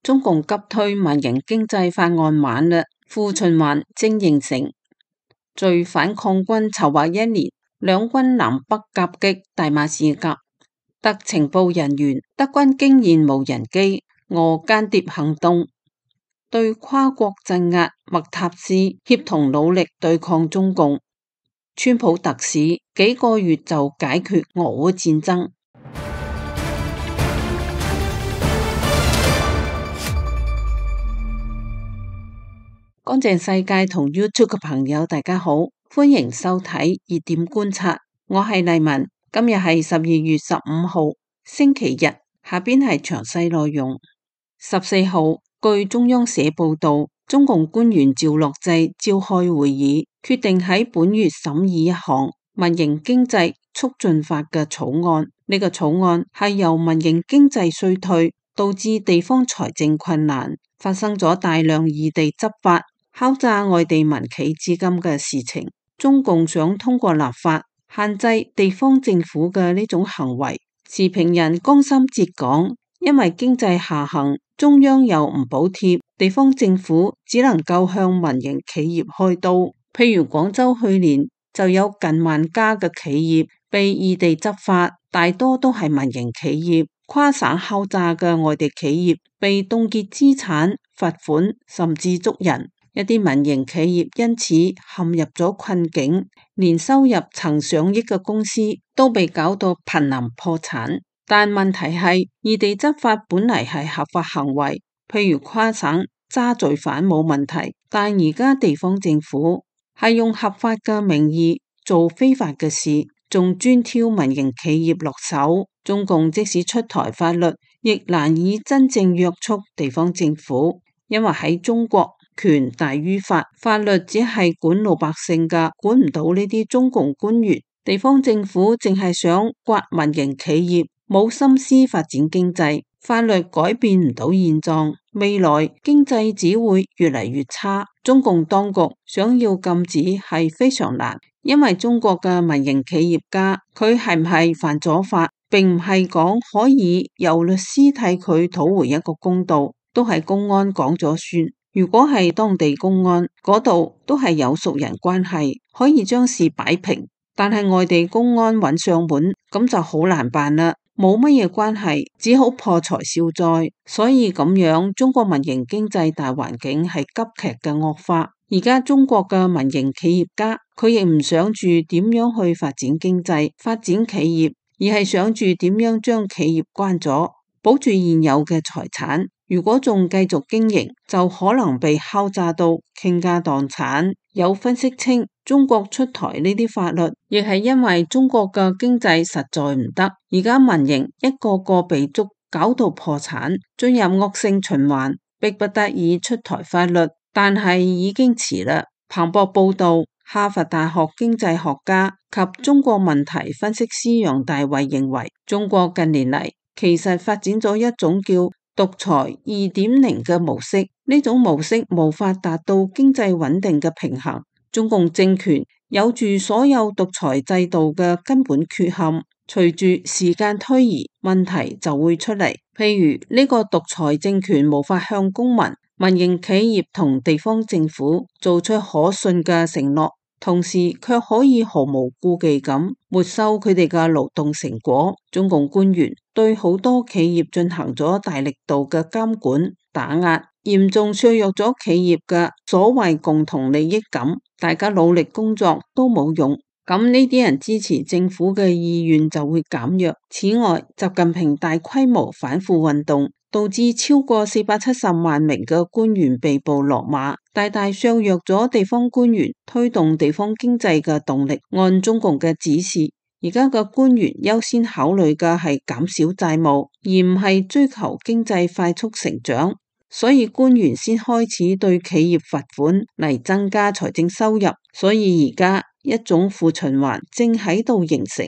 中共急推民營經濟法案晚嘞，負循環正形成。隨反抗軍籌劃1年，兩軍南北夾擊大馬士革，特情報人員德軍驚現無人機，俄間諜行動，對跨國鎮壓麥塔斯協同努力對抗中共。川普特使幾個月就解決俄烏戰爭。乾淨世界同 YouTube 嘅朋友大家好，歡迎收睇熱點觀察，我係麗文。今日係12月15號星期日，下邊係詳細內容。14號，據中央社報道，中共官員趙樂際召開會議，決定喺本月審議一項民營經濟促進法嘅草案。呢個草案係由民營經濟衰退導致地方財政困難，發生咗大量異地執法敲詐外地民企資金嘅事情。中共想通過立法限制地方政府嘅呢種行為。時評人江心哲講，因為經濟下行，中央又唔補貼，地方政府只能夠向民營企業開刀。譬如廣州去年就有近萬家嘅企業被異地執法，大多都係民營企業。跨省敲詐嘅外地企業被凍結資產、罰款，甚至捉人。一啲民營企業因此陷入咗困境，年收入曾上億嘅公司都被搞到瀕臨破產。但問題係，異地執法本嚟係合法行為，譬如跨省揸罪犯冇問題，但而家地方政府係用合法嘅名義做非法嘅事，仲專挑民營企業落手。中共即使出台法律，亦難以真正約束地方政府，因為喺中國，權大於法，法律只係管老百姓噶，管唔到呢啲中共官員。地方政府淨係想刮民營企業，冇心思發展經濟，法律改變唔到現狀，未來經濟只會越嚟越差。中共當局想要禁止係非常難，因為中國嘅民營企業家，佢係唔係犯咗法，並唔係講可以由律師替佢討回一個公道，都係公安講咗算。如果係當地公安嗰度都係有熟人關係，可以將事擺平，但係外地公安揾上門，咁就好難辦啦，冇乜嘢關係，只好破財消災。所以咁樣，中國民營經濟大環境係急劇嘅惡化。而家中國嘅民營企業家，佢亦唔想住點樣去發展經濟、發展企業，而係想住點樣將企業關咗，保住現有嘅財產。如果仲繼續經營，就可能被敲詐到傾家蕩產。有分析稱，中國出台呢啲法律，亦係因為中國嘅經濟實在唔得，而家民營一個個被捉，搞到破產，進入惡性循環，迫不得已出台法律，但係已經遲啦。彭博報道，哈佛大學經濟學家及中國問題分析師楊大衛認為，中國近年嚟其實發展咗一種叫獨裁2.0嘅模式，呢種模式無法達到經濟穩定嘅平衡。中共政權有住所有獨裁制度嘅根本缺陷，隨住時間推移，問題就會出嚟。譬如呢個獨裁政權無法向公民、民營企業同地方政府做出可信嘅承諾，同時卻可以毫無顧忌咁沒收佢哋嘅勞動成果。中共官員對好多企業進行咗大力度嘅監管打壓，嚴重削弱咗企業嘅所謂共同利益感，大家努力工作都冇用，咁呢啲人支持政府嘅意願就會減弱。此外，習近平大規模反腐運動導致超過470萬名嘅官員被捕落馬，大大削弱咗地方官員推動地方經濟嘅動力。按中共嘅指示，而家嘅官員優先考慮嘅係減少債務，而唔係追求經濟快速成長，所以官員先開始對企業罰款嚟增加財政收入。所以而家一種負循環正喺度形成。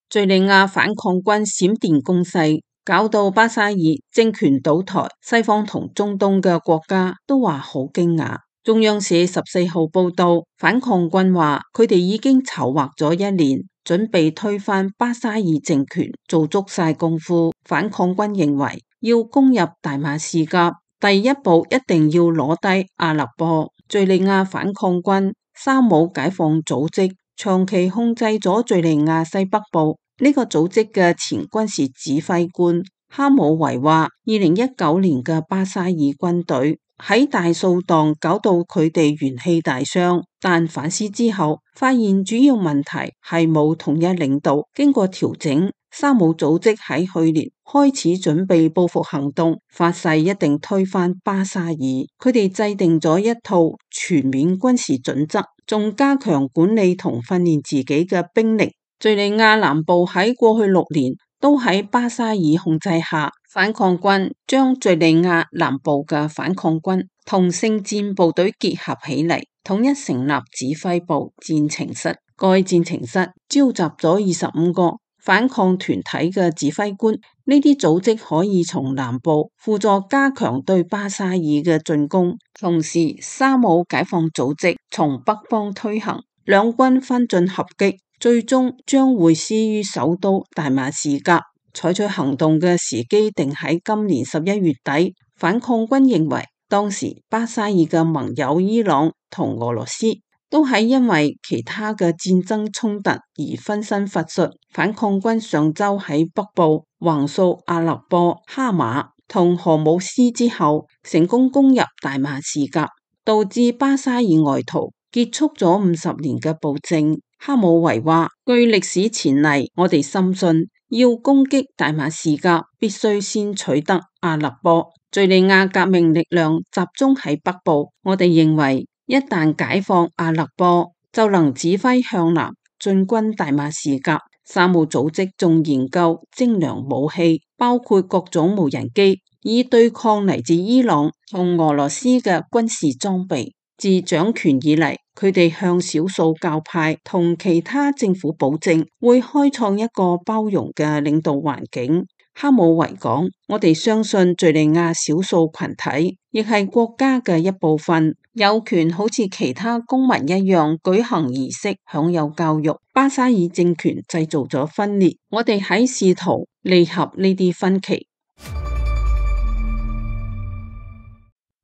敘利亞反抗軍閃電攻勢，搞到巴沙爾政權倒台，西方同中東嘅國家都話好驚訝。中央社14號報道，反抗軍話佢哋已經籌劃咗1年，準備推翻巴沙爾政權，做足晒功夫。反抗軍認為要攻入大馬士革，第一步一定要攞低阿勒頗。敘利亞反抗軍沙姆解放組織長期控制咗敘利亞西北部，呢個組織嘅前軍事指揮官哈姆維話，2019年嘅巴沙爾軍隊喺大掃蕩搞到佢哋元氣大傷，但反思之後發現主要問題係冇統一領導。經過調整，沙姆組織喺去年開始準備報復行動，發誓一定推翻巴沙爾。佢哋制定咗一套全面軍事準則，仲加強管理同訓練自己嘅兵力。敘利亞南部喺過去6年都喺巴沙爾控制下，反抗軍將敘利亞南部嘅反抗軍同聖戰部隊結合起嚟，統一成立指揮部戰情室。該戰情室召集咗25個反抗團體嘅指揮官，呢啲組織可以從南部輔助加強對巴沙爾嘅進攻，同時沙姆解放組織從北方推行，兩軍分進合擊，最終將會師於首都大馬士革。採取行動嘅時機定喺今年11月底。反抗軍認為當時巴沙爾嘅盟友伊朗同俄羅斯都係因為其他嘅戰爭衝突而分身乏術。反抗軍上周喺北部橫掃阿勒頗、哈馬同荷姆斯之後，成功攻入大馬士革，導致巴沙爾外逃，結束咗50年嘅暴政。哈姆維話：據歷史前例，我哋深信要攻擊大馬士革，必須先取得阿勒頗。敘利亞革命力量集中喺北部，我哋認為一旦解放阿勒頗，就能指揮向南進軍大馬士革。沙姆組織仲研究精良武器，包括各種無人機，以對抗嚟自伊朗同俄羅斯嘅軍事裝備。自掌權以嚟，佢哋向少數教派同其他政府保證會開創一個包容嘅領導環境。哈姆維講：我哋相信敘利亞少數群體亦係國家嘅一部分，有權好似其他公民一樣舉行儀式、享有教育。巴沙爾政權製造咗分裂，我哋喺試圖彌合呢啲分歧。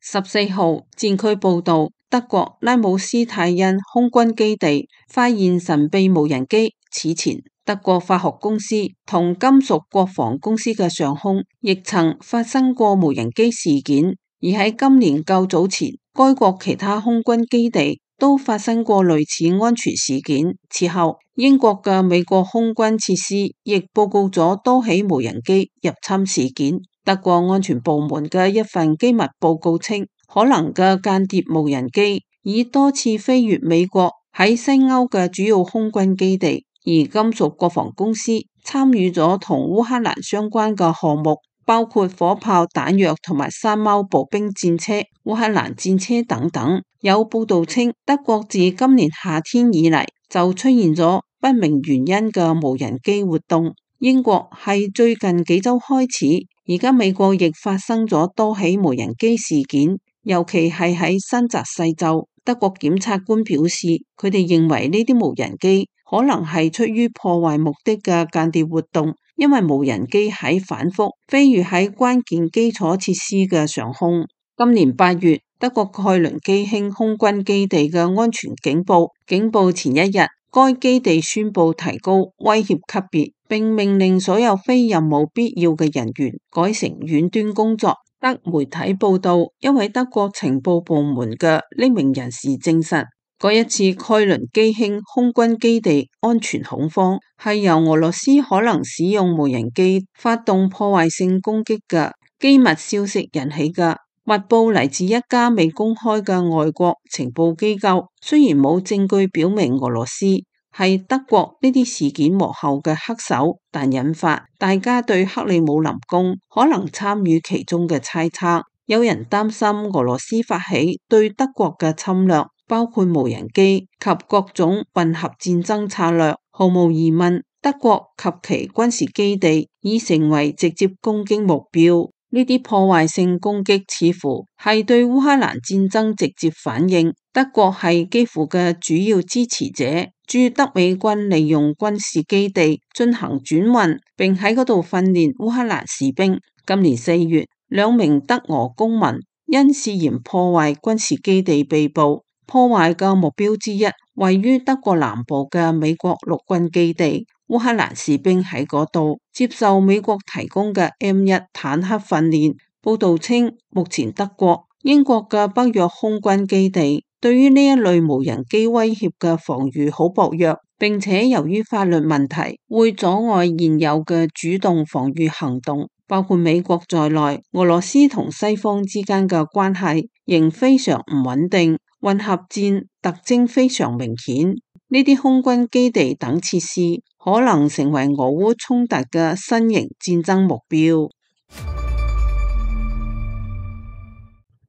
14號戰區報道，德國拉姆斯泰因空軍基地發現神秘無人機。此前，德國化學公司同金屬國防公司嘅上空亦曾發生過無人機事件，而喺今年較早前，該國其他空軍基地都發生過類似安全事件。此後，英國嘅美國空軍設施亦報告咗多起無人機入侵事件。德國安全部門嘅一份機密報告稱，可能嘅間諜無人機已多次飛越美國喺西歐嘅主要空軍基地，而金屬國防公司參與咗同烏克蘭相關嘅項目，包括火炮、彈藥同埋山貓步兵戰車、烏克蘭戰車等等。有報道稱，德國自今年夏天以嚟就出現咗不明原因嘅無人機活動。英國係最近幾週開始，而家美國亦發生咗多起無人機事件，尤其係喺新澤西州。德國檢察官表示，佢哋認為呢啲無人機可能係出於破壞目的嘅間諜活動，因為無人機喺反覆飛越喺關鍵基礎設施嘅上空。今年8月，德國蓋倫基興空軍基地嘅安全警報前一日，該基地宣布提高威脅級別，並命令所有非任務必要嘅人員改成遠端工作。德媒體報道，一位德國情報部門嘅匿名人士證實，嗰一次蓋倫基興空軍基地安全恐慌係由俄羅斯可能使用無人機發動破壞性攻擊嘅機密消息引起嘅。密報嚟自一家未公開嘅外國情報機構，雖然冇證據表明俄羅斯係德國呢啲事件幕後嘅黑手，但引發大家對克里姆林宮可能參與其中嘅猜測。有人擔心俄羅斯發起對德國嘅侵略，包括無人機及各種混合戰爭策略。毫無疑問，德國及其軍事基地已成為直接攻擊目標。呢啲破壞性攻擊似乎係對烏克蘭戰爭直接反應。德國係基輔嘅主要支持者，駐德美軍利用軍事基地進行轉運，並喺嗰度訓練烏克蘭士兵。今年4月，2名德俄公民因涉嫌破壞軍事基地被捕。破壞嘅目標之一位於德國南部嘅美國陸軍基地。烏克蘭士兵喺嗰度接受美國提供嘅 M1 坦克訓練。報道稱，目前德國、英國嘅北約空軍基地對於呢一類無人機威脅嘅防禦好薄弱，並且由於法律問題會阻礙現有嘅主動防禦行動。包括美國在內，俄羅斯同西方之間嘅關係仍非常唔穩定，混合戰特徵非常明顯。呢啲空軍基地等設施可能成為俄烏衝突嘅新型戰爭目標。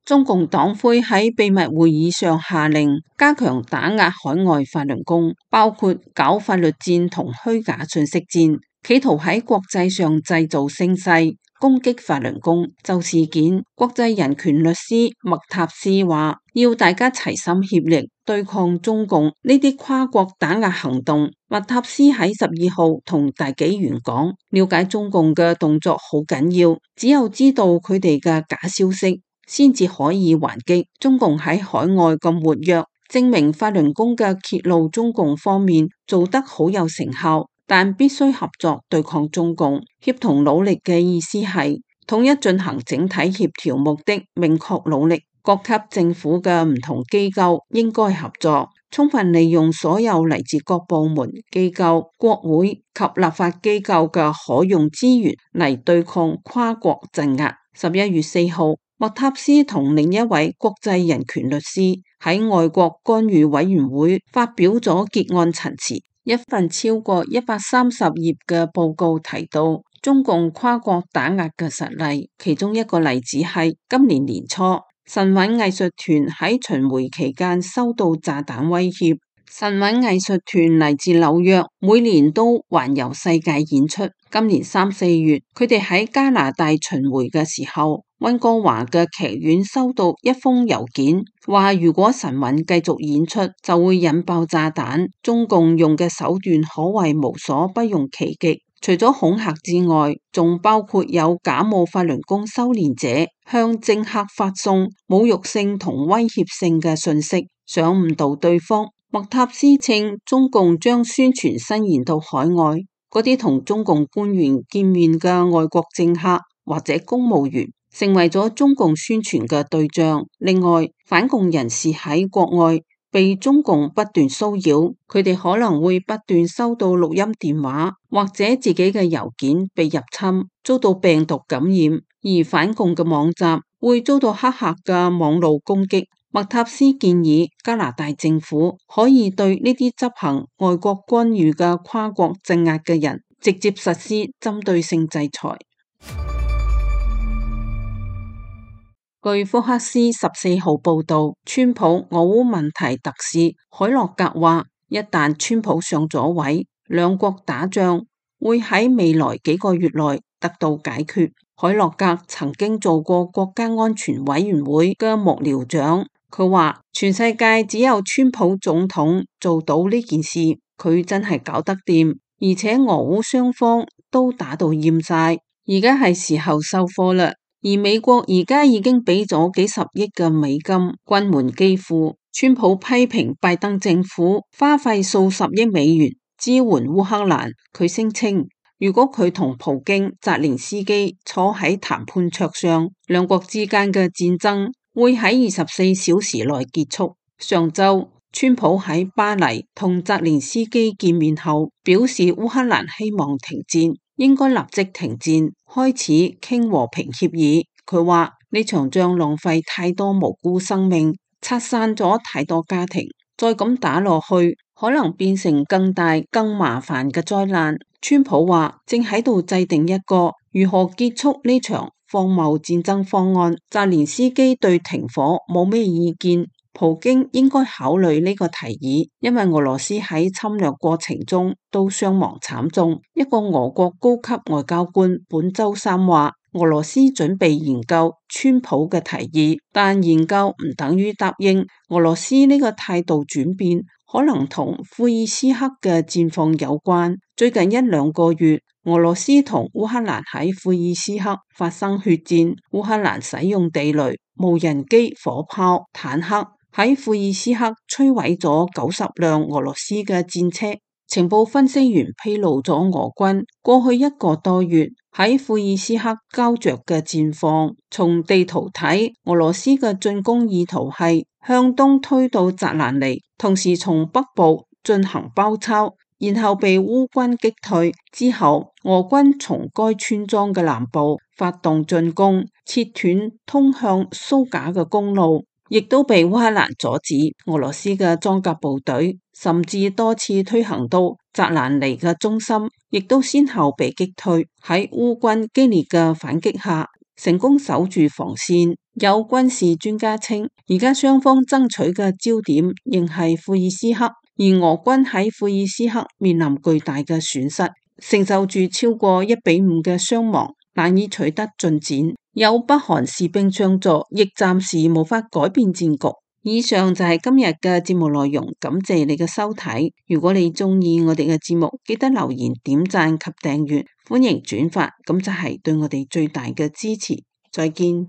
中共黨魁喺秘密會議上下令加強打壓海外法輪功，包括搞法律戰同虛假信息戰，企圖喺國際上製造聲勢，攻擊法輪功。就事件，國際人權律師麥塔斯話，要大家齊心協力對抗中共呢啲跨國打壓行動。麥塔斯喺12號同大紀元講，了解中共嘅動作好緊要，只有知道佢哋嘅假消息，先至可以還擊。中共喺海外咁活躍，證明法輪功嘅揭露中共方面做得好有成效，但必須合作對抗中共。協同努力嘅意思係統一進行整體協調目的明確努力，各級政府嘅唔同機構應該合作，充分利用所有嚟自各部門、機構、國會及立法機構嘅可用資源嚟對抗跨國鎮壓。11月4號，麥塔斯同另一位國際人權律師喺外國干預委員會發表咗結案陳詞。一份超過130頁嘅報告提到中共跨國打壓嘅實例，其中一個例子係今年年初，神韻藝術團喺巡迴期間收到炸彈威脅。神韻藝術團嚟自紐約，每年都環遊世界演出。今年3、4月，佢哋喺加拿大巡迴嘅時候，溫哥華嘅劇院收到一封郵件，話如果神韻繼續演出，就會引爆炸彈。中共用嘅手段可謂無所不用其極，除咗恐嚇之外，仲包括有假冒法輪功修煉者向政客發送侮辱性同威脅性嘅信息，想誤導對方。麥塔斯稱，中共將宣傳伸延到海外，嗰啲同中共官員見面嘅外國政客或者公務員成為咗中共宣傳嘅對象。另外，反共人士喺國外被中共不斷騷擾，佢哋可能會不斷收到錄音電話，或者自己嘅郵件被入侵，遭到病毒感染，而反共嘅網站會遭到黑客嘅網路攻擊。麥塔斯建議加拿大政府可以對呢啲執行外國干預嘅跨國鎮壓嘅人直接實施針對性制裁。據福克斯14號報道，川普俄烏問題特使海洛格話，一旦川普上咗位，兩國打仗會喺未來幾個月內得到解決。海洛格曾經做過國家安全委員會嘅幕僚長。佢話全世界只有川普總統做到呢件事，佢真係搞得掂，而且俄烏雙方都打到厭晒，而家係時候收貨啦。而美國而家已經俾咗幾十億嘅美金軍援基輔。川普批評拜登政府花費數十億美元支援烏克蘭，佢聲稱如果佢同普京、澤連斯基坐喺談判桌上，兩國之間嘅戰爭會喺24小時內結束。上週，川普喺巴黎同澤連斯基見面後，表示烏克蘭希望停戰，應該立即停戰，開始傾和平協議。佢話呢場仗浪費太多無辜生命，拆散咗太多家庭，再咁打落去，可能變成更大、更麻煩嘅災難。川普話正喺度制定一個如何結束呢場荒謬戰爭方案。澤連斯基對停火冇咩意見，普京應該考慮呢個提議，因為俄羅斯喺侵略過程中都傷亡慘重。一個俄國高級外交官本周三話，俄羅斯準備研究川普嘅提議，但研究唔等於答應。俄羅斯呢個態度轉變，可能同庫爾斯克嘅戰況有關。最近一兩個月，俄羅斯同烏克蘭喺庫爾斯克發生血戰，烏克蘭使用地雷、無人機、火炮、坦克喺庫爾斯克摧毀咗90輛俄羅斯嘅戰車。情報分析員披露咗俄軍過去一個多月喺庫爾斯克膠着嘅戰況。從地圖睇，俄羅斯嘅進攻意圖係向東推到扎蘭尼，同時從北部進行包抄，然後被烏軍擊退之後，俄軍從該村莊嘅南部發動進攻，切斷通向蘇賈嘅公路，亦都被烏克蘭阻止。俄羅斯嘅裝甲部隊甚至多次推行到扎蘭尼嘅中心，亦都先後被擊退。喺烏軍激烈嘅反擊下，成功守住防線。有軍事專家稱，而家雙方爭取嘅焦點仍係庫爾斯克，而俄軍喺庫爾斯克面臨巨大嘅損失，承受住超過1:5嘅傷亡，難以取得進展。有北韓士兵相助，亦暫時無法改變戰局。以上就係今日嘅節目內容，感謝你嘅收睇。如果你中意我哋嘅節目，記得留言、點讚及訂閱，歡迎轉發，咁就係對我哋最大嘅支持。再見。